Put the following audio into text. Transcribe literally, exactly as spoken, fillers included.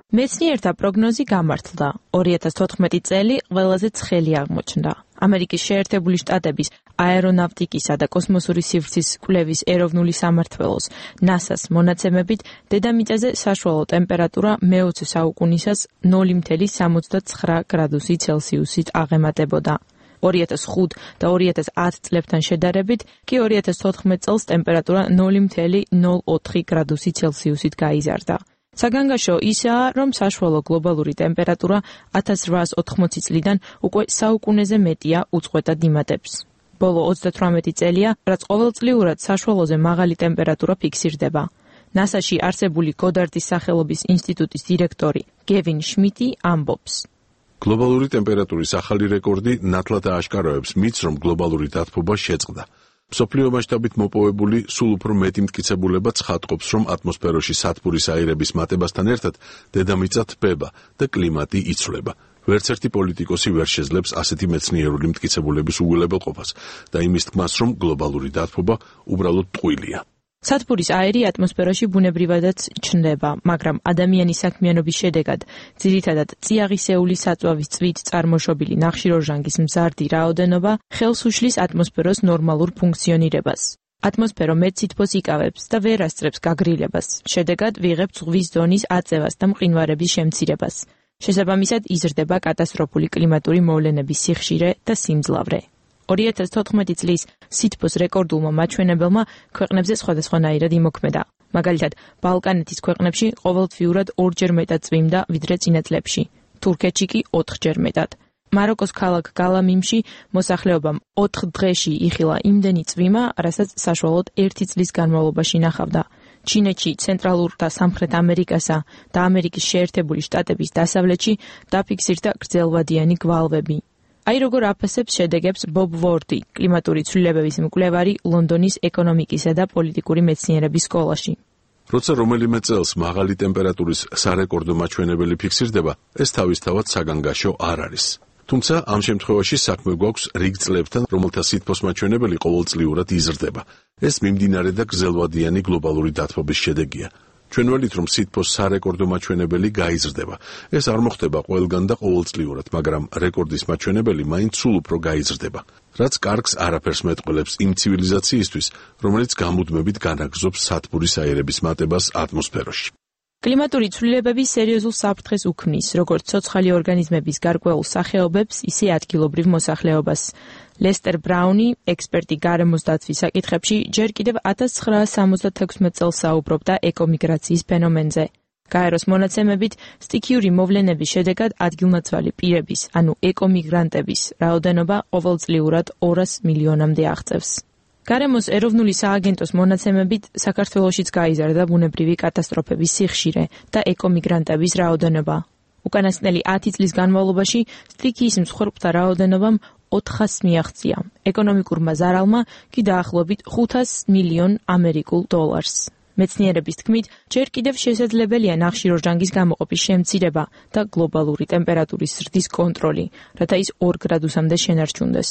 მეცნიერთა პროგნოზი გამართლდა. ორი ათას თოთხმეტი წელი ყველაზე ცხელი აღმოჩნდა. ამერიკის შეერთებული შტატების აერონავტიკისა და კოსმოსური სივრცის კვლევის ეროვნული სამმართველოს ნასას მონაცემებით დედამიწაზე საშუალო ტემპერატურა მეოცე საუკუნისას ნული მცდარ სამოცდაცხრა გრადუსი ცელსიუსით აღემატებოდა. ორი ათას ხუთ და ორი ათას ათ წლებთან შედარებით კი ორი ათას თოთხმეტ წელს ტემპერატურა ნული მცდარ ნული ოთხი გრადუსი ცელსიუსით გაიზარდა. საგანგაშო ისაა, რომ საშუალო გლობალური ტემპერატურა ათას რვაას ოთხმოცი წლიდან უკვე საუკუნეზე მეტია უწყვეტად იმატებს. ბოლო ოცდათვრამეტი წელია, რაც ყოველწლიურად საშუალოზე მაღალი ტემპერატურა ფიქსირდება. ნასაში არსებული გოდარდის სახელობის ინსტიტუტის დირექტორი გევინ შმიტი ამბობს. გლობალური ტემპერატურის ახალი რეკორდი ნათლად ააშკაროებს მითს, რომ გლობალური დათბობა შეწყდა. მსოფლიო მასშტაბით მოპოვებული სულ უფრო მეტი მტკიცებულება ცხადყოფს, რომ ატმოსფეროში სათბურის აირების მატებასთან ერთად დედამიწა თბება და კლიმატი იცვლება. ვერც ერთი პოლიტიკოსი ვერ შეძლებს ასეთი მეცნიერული მტკიცებულების უგულებელყოფას და იმის თქმას, რომ გლობალური დათბობა უბრალოდ ტყუილია. სათბურის აირი ატმოსფეროში ბუნებრივადაც ჩნდება, მაგრამ ადამიანის საქმიანობის შედეგად ძირითადად წიაღისეული საწვავის წვით წარმოშობილი ნახშირორჟანგის მზარდი რაოდენობა ხელს უშლის ატმოსფეროს ნორმალურ ფუნქციონირებას. ატმოსფერო მეტ სითბოს იკავებს და ვერ ასწრებს გაგრილებას. შედეგად ვიღებთ ზღვის ზონის აწევას და მყინვარების შემცირებას. შესაბამისად იზრდება კატასტროფული კლიმატური მოვლენების სიხშირე და სიმძლავრე. ორი ათას თოთხმეტი წლის სითბოს რეკორდულმა მაჩვენებელმა ქვეყნებზე სხვადასხვანაირად იმოქმედა. მაგალითად, ბალკანეთის ქვეყნებში ყოველთვიურად ორჯერ მეტად წვიმდა, ვიდრე წინა წლებში. თურქეთში კი ოთხჯერ მეტად. მაროკოს ქალაქ გალამიმში მოსახლეობამ ოთხ დღეში იხილა იმდენი წვიმა, რასაც საშუალოდ ერთი წლის განმავლობაში ნახავდა. ჩინეთში, ცენტრალურ და სამხრეთ ამერიკასა და ამერიკის შეერთებული შტატების დასავლეთში დაფიქსირდა გრძელვადიანი გვალვები. აი როგორ აფასებს შედეგებს ბობ ვორდი, კლიმატური ცვლილებების მკვლევარი ლონდონის ეკონომიკისა და პოლიტიკური მეცნიერების სკოლაში. როცა რომელიმე წელს მაღალი ტემპერატურის სარეკორდო მაჩვენებელი ფიქსირდება, ეს თავისთავად საგანგაშო არ არის. თუმცა ამ შემთხვევაში საქმე გვაქვს რიგ წლებთან, რომელთა სითბოს მაჩვენებელი ყოველწლიურად იზრდება. ეს მიმდინარე და გრძელვადიანი გლობალური დათბობის შედეგია. ჩვენ ველით, რომ სითბოს სარეკორდო მაჩვენებელი გაიზრდება. ეს არ მოხდება ყველგან და ყოველწლიურად, მაგრამ რეკორდის მაჩვენებელი მაინც სულ უფრო გაიზრდება. რაც კარგს არაფერს მეტყველებს იმ ცივილიზაციისთვის, რომელიც გამუდმებით განაგრძობს სათბურის აირების მატებას ატმოსფეროში. კლიმატური ცვლილებები სერიოზულ საფრთხეს უქმნის, როგორც ცოცხალი ორგანიზმების გარკვეულ სახეობებს, ისე ადგილობრივ მოსახლეობას. ლესტერ ბრაუნი, ექსპერტი გარემოს დაცვის საკითხებში, ჯერ კიდევ ათას ცხრაასი სამოცდათექვსმეტ წელს საუბრობდა ეკომიგრაციის ფენომენზე. გაეროს მონაცემებით, სტიქიური მოვლენების შედეგად ადგილნაცვალი პირების, ანუ ეკომიგრანტების რაოდენობა ყოველწლიურად ორას მილიონამდე აღწევს. გარემოს ეროვნული სააგენტოს მონაცემებით, საქართველოშიც გაიზარდა ბუნებრივი კატასტროფების სიხშირე და ეკომიგრანტების რაოდენობა. უკანასკნელი ათი წლის განმავლობაში სტიქიის მსხვერპლთა რაოდენობამ ოთხასს მიაღწია. ეკონომიკურმა ზარალმა კი დაახლოებით ხუთას მილიონ ამერიკულ დოლარს. მეცნიერების თქმით, ჯერ კიდევ შესაძლებელია ნახშირორჟანგის გამოყოფის შემცირება და გლობალური ტემპერატურის ზრდის კონტროლი, რათა ის ორ გრადუსამდე შენარჩუნდეს.